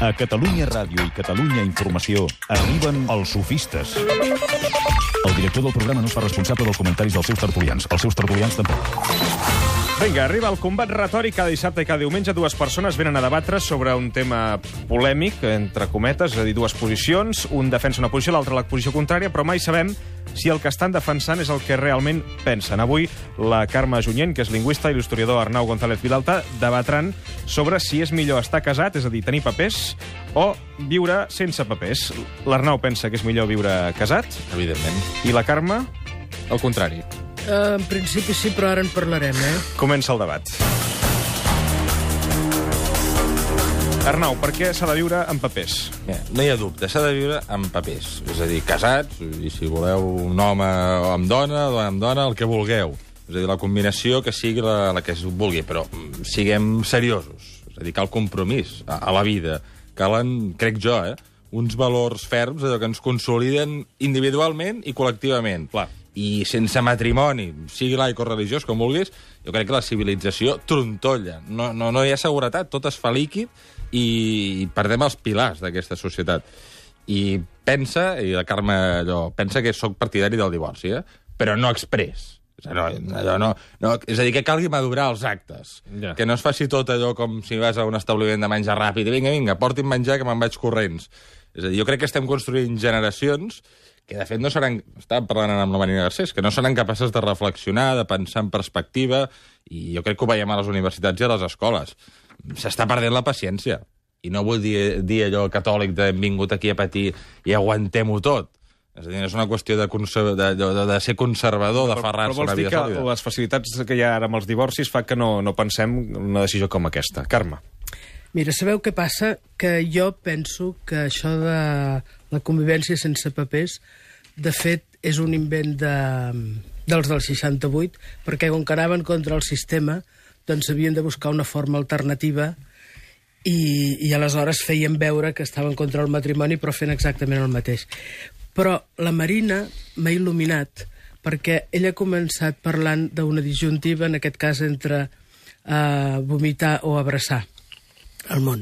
A Catalunya Ràdio i Catalunya Informació arriben els sofistes. El director del programa no es fa responsable dels comentaris dels seus tertulians. Els seus tertulians tampoc. Vinga, arriba el combat retòric. Cada dissabte i cada diumenge dues persones venen a debatre sobre un tema polèmic, entre cometes, és a dir, dues posicions. Un defensa una posició, l'altre la posició contrària, però mai sabem si el que estan defensant és el que realment pensen. Avui, la Carme Junyent, que és lingüista, i l'historiador Arnau González Vilalta debatran sobre si és millor estar casat, és a dir, tenir papers, o viure sense papers. L'Arnau pensa que és millor viure casat. Evidentment. I la Carme? El contrari. En principi sí, però ara en parlarem, Comença el debat. Arnau, per què s'ha de viure amb papers? Mira, no hi ha dubte, s'ha de viure amb papers. És a dir, casats, i si voleu un home amb dona amb dona, el que vulgueu. És a dir, la combinació que sigui la que es vulgui, però siguem seriosos. És a dir, cal compromís a la vida. Calen, crec jo, uns valors ferms allò que ens consoliden individualment i col·lectivament. Clar. I sense matrimoni, sigui laic o religiós, com vulguis, jo crec que la civilització trontolla. No hi ha seguretat, tot es fa líquid i perdem els pilars d'aquesta societat. I pensa, i la Carme pensa que sóc partidari del divorci, però no exprés. És a dir, que calgui madurar els actes. Ja. Que no es faci tot allò com si vas a un establiment de menjar ràpid. Vinga, porti'm menjar que me'n vaig corrents. És a dir, jo crec que estem construint generacions que, de fet, no seran... Estàvem parlant amb la Marina Garcés, que no seran capaces de reflexionar, de pensar en perspectiva, i jo crec que ho veiem a les universitats i a les escoles. S'està perdent la paciència. I no vull dir allò catòlic de hem vingut aquí a patir i aguantem-ho tot. És a dir, és una qüestió de ser conservador, d'aferrar-se a una vida sòlida. Però vols dir que les facilitats que hi ha ara amb els divorcis fa que no pensem una decisió com aquesta. Carme. Mira, sabeu què passa? Que jo penso que això de la convivència sense papers, de fet, és un invent dels del 68, perquè com que anaven contra el sistema, doncs havien de buscar una forma alternativa i aleshores feien veure que estaven contra el matrimoni, però fent exactament el mateix. Però la Marina m'ha il·luminat, perquè ella ha començat parlant d'una disjuntiva, en aquest cas entre vomitar o abraçar el món.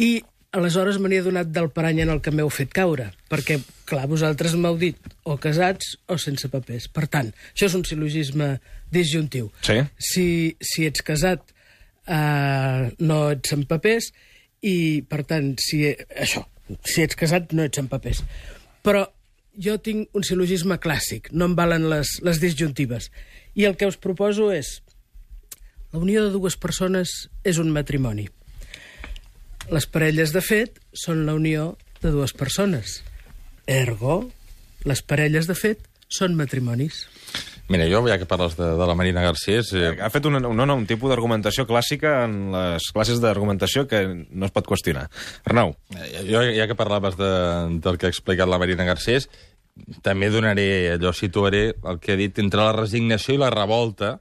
I aleshores me n'he adonat del parany en el que m'heu fet caure, perquè, clar, vosaltres m'heu dit o casats o sense papers. Per tant, això és un sil·logisme disjuntiu. Sí. Si ets casat, no ets amb papers, i, per tant, si ets casat, no ets amb papers. Però jo tinc un sil·logisme clàssic, no em valen les disjuntives. I el que us proposo és: la unió de dues persones és un matrimoni. Les parelles, de fet, són la unió de dues persones. Ergo, les parelles, de fet, són matrimonis. Mira, jo, ja que parles de la Marina Garcés... Ha fet un tipus d'argumentació clàssica en les classes d'argumentació que no es pot qüestionar. Arnau. Jo, ja que parlaves del que ha explicat la Marina Garcés, també situaré el que ha dit entre la resignació i la revolta.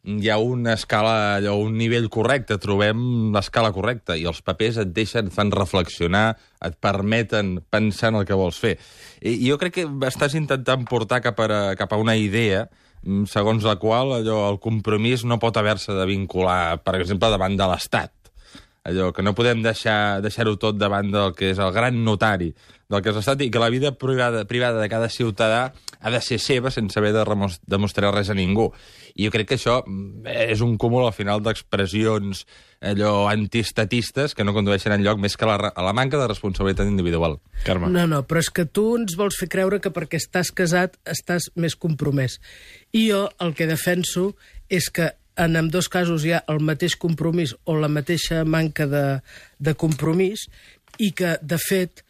Hi ha una escala, un nivell correcte, trobem l'escala correcta, i els papers et fan reflexionar, et permeten pensar en el que vols fer. I jo crec que estàs intentant portar cap a una idea segons la qual el compromís no pot haver-se de vincular, per exemple, davant de l'Estat. Allò que no podem deixar-ho tot davant del que és el gran notari del que és l'Estat, i que la vida privada de cada ciutadà ha de ser seva sense haver de demostrar res a ningú. I jo crec que això és un cúmul al final d'expressions antiestatistes que no condueixen enlloc més que a la manca de responsabilitat individual. Carme. No, però és que tu ens vols fer creure que perquè estàs casat estàs més compromès. I jo el que defenso és que en ambdós casos hi ha el mateix compromís o la mateixa manca de compromís, i que, de fet,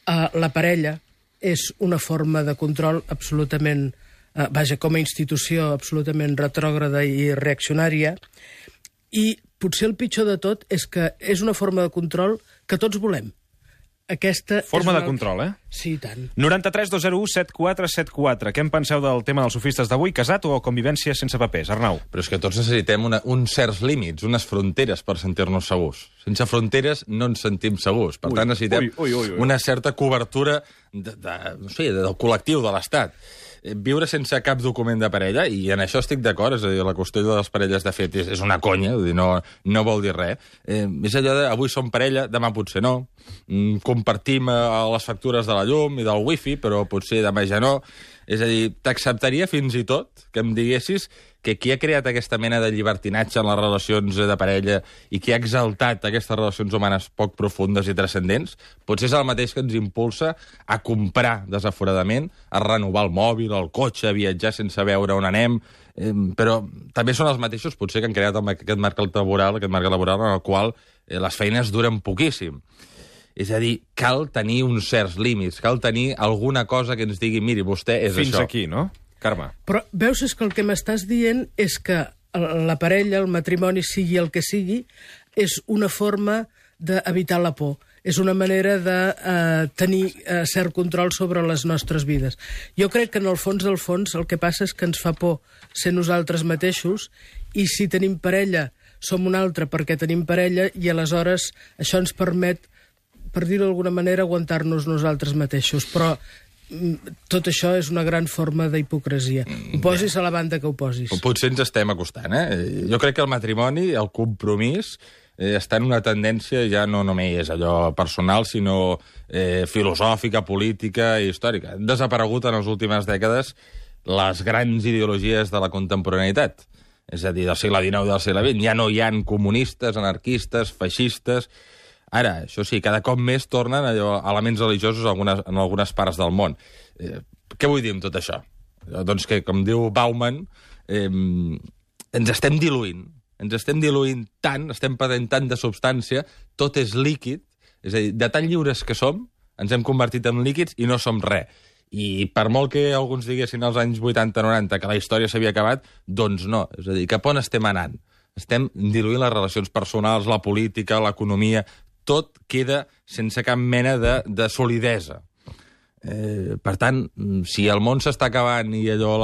la parella és una forma de control absolutament, com a institució absolutament retrògrada i reaccionària, i potser el pitjor de tot és que és una forma de control que tots volem. Aquesta forma de control, Sí, i tant. 93 201 7474. Què en penseu del tema dels sofistes d'avui? Casat o convivència sense papers? Arnau. Però és que tots necessitem uns certs límits, unes fronteres per sentir-nos segurs. Sense fronteres no ens sentim segurs. Per tant, necessitem una certa cobertura del col·lectiu, de l'Estat. viure sense cap document de parella, i en això estic d'acord, és a dir, la qüestió de les parelles, de fet, és una conya, vull dir, no vol dir res. És allò de, avui som parella, demà potser no, compartim les factures de la llum i del wifi, però potser demà ja no. És a dir, t'acceptaria fins i tot que em diguessis que qui ha creat aquesta mena de llibertinatge en les relacions de parella i qui ha exaltat aquestes relacions humanes poc profundes i transcendents, potser és el mateix que ens impulsa a comprar desaforadament, a renovar el mòbil, el cotxe, a viatjar sense veure on anem, però també són els mateixos potser que han creat aquest marc laboral en el qual les feines duren poquíssim. És a dir, cal tenir uns certs límits, cal tenir alguna cosa que ens digui, miri, vostè és Fins això. aquí, no, Carme? Però veus, és que el que m'estàs dient és que la parella, el matrimoni, sigui el que sigui, és una forma d'evitar la por. És una manera de tenir cert control sobre les nostres vides. Jo crec que en el fons del fons el que passa és que ens fa por ser nosaltres mateixos, i si tenim parella som un altre perquè tenim parella, i aleshores això ens permet, per dir-ho d'alguna manera, aguantar-nos nosaltres mateixos. Però tot això és una gran forma d'hipocresia. Ho posis a la banda que ho posis. Potser ens estem acostant, Jo crec que el matrimoni, el compromís, està en una tendència ja no només allò personal, sinó filosòfica, política i històrica. Han desaparegut en les últimes dècades les grans ideologies de la contemporaneïtat. És a dir, del segle XIX i del segle XX. Ja no hi ha comunistes, anarquistes, feixistes. Ara, això sí, cada cop més tornen elements religiosos en algunes parts del món. Què vull dir amb tot això? Doncs que, com diu Bauman, ens estem diluint tant, estem perdent tant de substància, tot és líquid, és a dir, de tan lliures que som, ens hem convertit en líquids i no som res. I per molt que alguns diguessin als anys 80-90 que la història s'havia acabat, doncs no. És a dir, cap on estem anant? Estem diluint les relacions personals, la política, l'economia. Tot queda sense cap mena de solidesa. Per tant, si el món s'està acabant i allò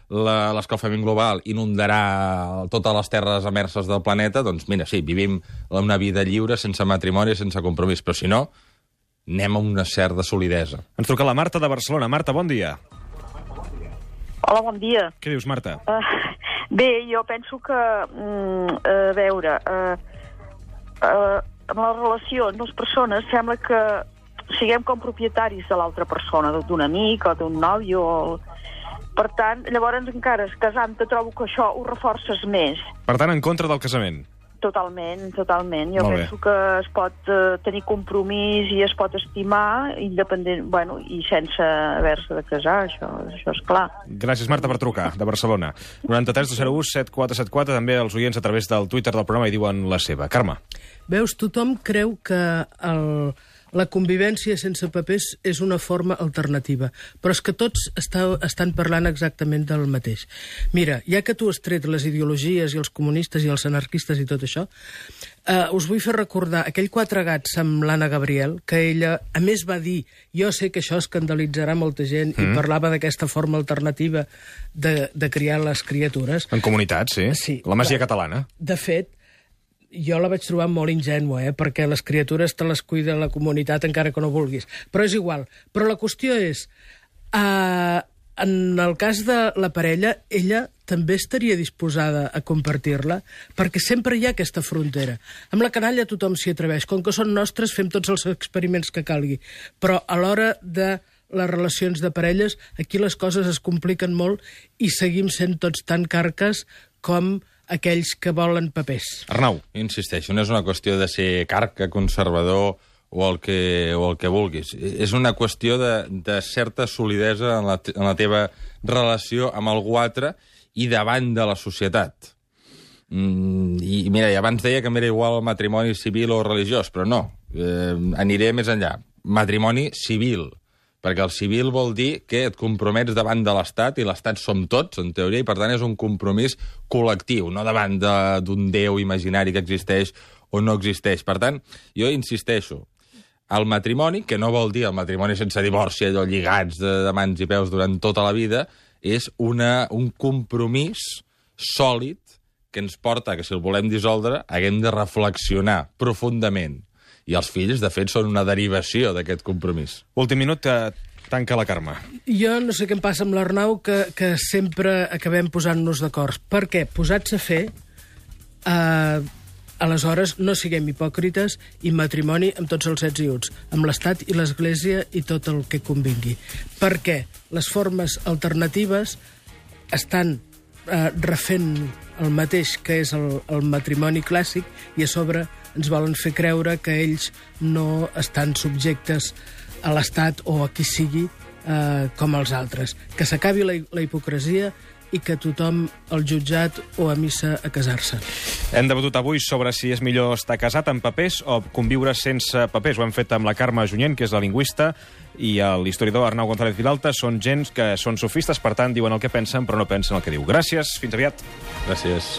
l'escalfament global inundarà totes les terres emerses del planeta, doncs mira, sí, vivim una vida lliure, sense matrimoni, sense compromís, però si no, anem a una certa solidesa. Ens truca la Marta de Barcelona. Marta, bon dia. Hola, bon dia. Què dius, Marta? Bé, jo penso que, a veure, en les relacions, les persones, sembla que siguem com propietaris de l'altra persona, d'un amic o d'un nòvio. Per tant, llavors encara casant-te trobo que això ho reforces més. Per tant, en contra del casament. Totalment, totalment. Jo Molt bé. penso que es pot tenir compromís i es pot estimar independent, bueno, i sense haver-se de casar, això és clar. Gràcies, Marta, per trucar, de Barcelona. 93 201 7474, també els oients a través del Twitter del programa hi diuen la seva. Carme. Veus, tothom creu que la convivència sense papers és una forma alternativa, però és que tots estan parlant exactament del mateix. Mira, ja que tu has tret les ideologies i els comunistes i els anarquistes i tot això, us vull fer recordar aquell Quatre gats amb l'Anna Gabriel, que ella, a més, va dir, jo sé que això escandalitzarà molta gent, i parlava d'aquesta forma alternativa de criar les criatures. En comunitat, sí. Sí. La masia catalana. De fet, jo la vaig trobar molt ingènua, perquè les criatures te les cuida la comunitat encara que no vulguis. Però és igual. Però la qüestió és, en el cas de la parella, ella també estaria disposada a compartir-la, perquè sempre hi ha aquesta frontera. Amb la canalla tothom s'hi atreveix. Com que són nostres, fem tots els experiments que calgui. Però a l'hora de les relacions de parelles, aquí les coses es compliquen molt i seguim sent tots tan carques com aquells que volen papers. Arnau. Insisteixo, no és una qüestió de ser carca, conservador o el que vulguis. És una qüestió de certa solidesa en la teva relació amb algú altre i davant de la societat. I mira, abans deia que m'era igual el matrimoni civil o religiós, però no, aniré més enllà. Matrimoni civil, perquè el civil vol dir que et compromets davant de l'Estat, i l'Estat som tots, en teoria, i per tant és un compromís col·lectiu, no davant d'un déu imaginari que existeix o no existeix. Per tant, jo insisteixo, el matrimoni, que no vol dir el matrimoni sense divorci, allò lligats de mans i peus durant tota la vida, és un compromís sòlid que ens porta que si el volem dissoldre haguem de reflexionar profundament. I els fills, de fet, són una derivació d'aquest compromís. Últim minut, Tanca la Carme. Jo no sé què em passa amb l'Arnau, que sempre acabem posant-nos d'acord. Per què? Posats a fer, aleshores no siguem hipòcrites i matrimoni amb tots els ets i uts, amb l'Estat i l'Església i tot el que convingui. Perquè les formes alternatives estan refent el mateix que és el matrimoni clàssic i a sobre ens volen fer creure que ells no estan subjectes a l'Estat o a qui sigui com els altres. Que s'acabi la hipocresia i que tothom al jutjat o a missa a casar-se. Hem debatut avui sobre si és millor estar casat amb papers o conviure sense papers. Ho hem fet amb la Carme Junyent, que és la lingüista, i l'historiador Arnau González Vilalta. Són gens que són sofistes, per tant, diuen el que pensen, però no pensen el que diu. Gràcies, fins aviat. Gràcies.